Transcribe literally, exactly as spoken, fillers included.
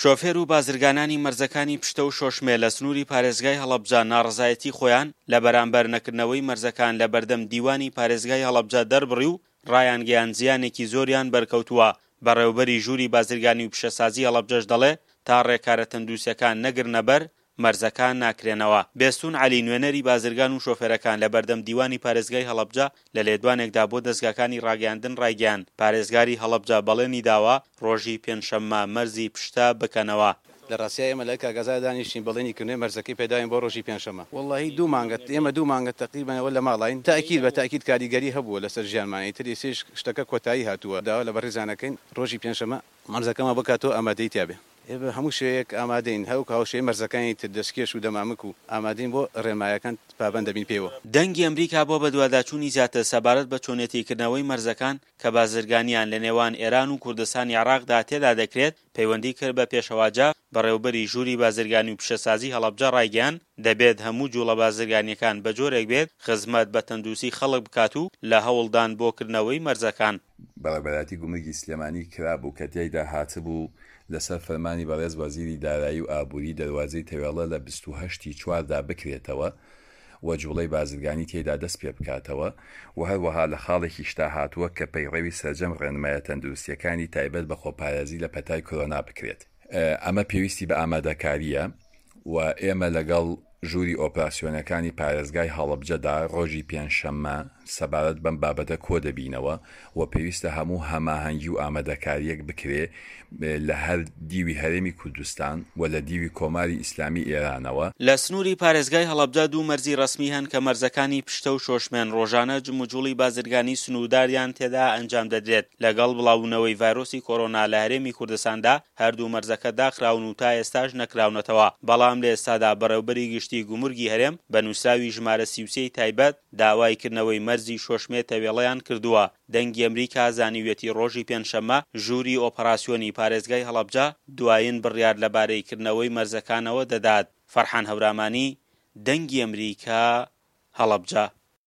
شۆفێر و بازرگانانی مەرزەکانی پشتە و شۆشمێ لە سنووری پارێزگای هەڵەبجە ناڕەزایەتی خۆیان لە بەرامبەر نەکردنەوەی مەرزەکان لە بەردەم دیوانی پارێزگای هەڵەبجە دەربڕی و ڕایانگەیاند زیانێکی زۆریان بەرکەوتووە. بەڕێوەبەری ژووری بازرگانی و پیشەسازی هەڵەبجەش دەڵێ تا ڕێکارە تەندروستیەکان نەگرنەبەر مەرزەکان ناکرێنەوە. بێستون عەلی نوێنەری بازرگان و شۆفێرەکان لە بەردەم دیوانی پارێزگای هەڵەبجە لە لێدوانێکدا بۆ دەزگاکانی ڕاگەیاندن ڕایگەیاند پارێزگاری هەڵەبجە بەڵێنی داوە ڕۆژی پێنجشەممە مەرزی پشتە بکەنەوە. لە ڕاستیا ئێمە لە کاگەزا دانیشتین بەڵێنی کردنەوەی مەرزەکەی پێداوین بۆ ڕۆژی پێنجشەممە. وەڵاهی دوو مانگە ئێمە دوو مانگە تەقریبەن ئەوە لە ماڵاین تەئکید بە تەئکید کاریگەری هەبووە لەسەر ژیانمان ئیتر ئێستەیش شتەکە کۆتایی هاتووە داوا لە بەڕێزیان ئەکەین ڕۆژی پێنجشەممە مەرزەکەمان بکاتەوە ئامادەیی تیا بێ. ئێ بە هەموو شێوەیەک ئامادەین هەروەک هاوشێوەی مەرزەکانی تر دەستکێش و دەمامک و ئامادەین بۆ ڕێنمایەکان پابەند دەبین پێیەوە. دەنگی ئەمریکا بۆ بەدواداچوونی زیاتر سەبارەت بە چۆنێتی کردنەوەی مەرزەکان کە بازرگانیان لە نێوان ئێران و کوردستانی عێراقدا تێدا دەکرێت، پەیوەندی کرد بە پێشەوا جاف، بەڕێوەبەری ژووری بازرگانی و پیشەسازی هەڵەبجە ڕایگەیاند، دەبێت هەموو جوڵە بازرگانییەکان بە جۆرێک بێت خزمەت بە تەندروستی خەڵک بکات و لە هەوڵدان بۆ کردنەوەی مەرزەکان. بەڕێوەبەرایەتی گومرگی سلێمانی کرابوو کە تیایدا هاتبوو، لەسەر فەرمانی بەڕێز وەزیری دارایی و ئابووری دەروازەی تەوێڵە لە بیست و هەشت ی چواردا بکرێتەوە و جوڵەی بازرگانی تێیدا دەست پێبکاتەوە و هەروەها لە خاڵێکیشدا هاتووە کە پەیڕەوی سەرجەم ڕێنمایە تەندروستییەکانی تایبەت بە خۆپارێزی لە پەتای کۆرۆنا بکرێت. ئەمە پێویستی بە ئامادەکارییە و ئێمە لەگەڵ ژووری ئۆپراسیۆنەکانی پارێزگای هەڵەبجەدا ڕۆژی پێنجشەممە سەبارەت بەم بابەتە کۆدەبینەوە و پێویستە هەموو هەماهەنگی و ئامادەکارییەک بکرێ لە هەر دیوی هەرێمی کوردستان و لە دیوی کۆماری ئیسلامی ئێرانەوە. لە سنووری پارێزگای هەڵەبجە دوو مەرزی ڕەسمی هەن کە مەرزەکانی پشتە و شۆشمێن ڕۆژانە جموجوڵی بازرگانی سنوورداریان تێدا ئەنجام دەدرێت. لەگەڵ بڵاوبوونەوەی ڤایرۆسی کۆرۆنا لە هەرێمی کوردستاندا هەردوو مەرزەکە داخراون و تا ئێستاش نەکراونەتەوە، بەڵام لە ئێستادا بەڕێوبەری گشتی گومرگی هەرێم بە نووسراوی ژمارە سی و سێ ی تایبەت داوای کردنەوەی مەرزی شۆشمێ تەوێڵەیان کردووە. دەنگی ئەمریکا زانیویەتی ڕۆژی پێنجشەممە ژووری ئۆپەراسیۆنی پارێزگای هەڵەبجە دوایین بڕیار لەبارەی کردنەوەی مەرزەکانەوە دەدات. فەرحان هەورامانی، دەنگی ئەمریکا، هەڵەبجە.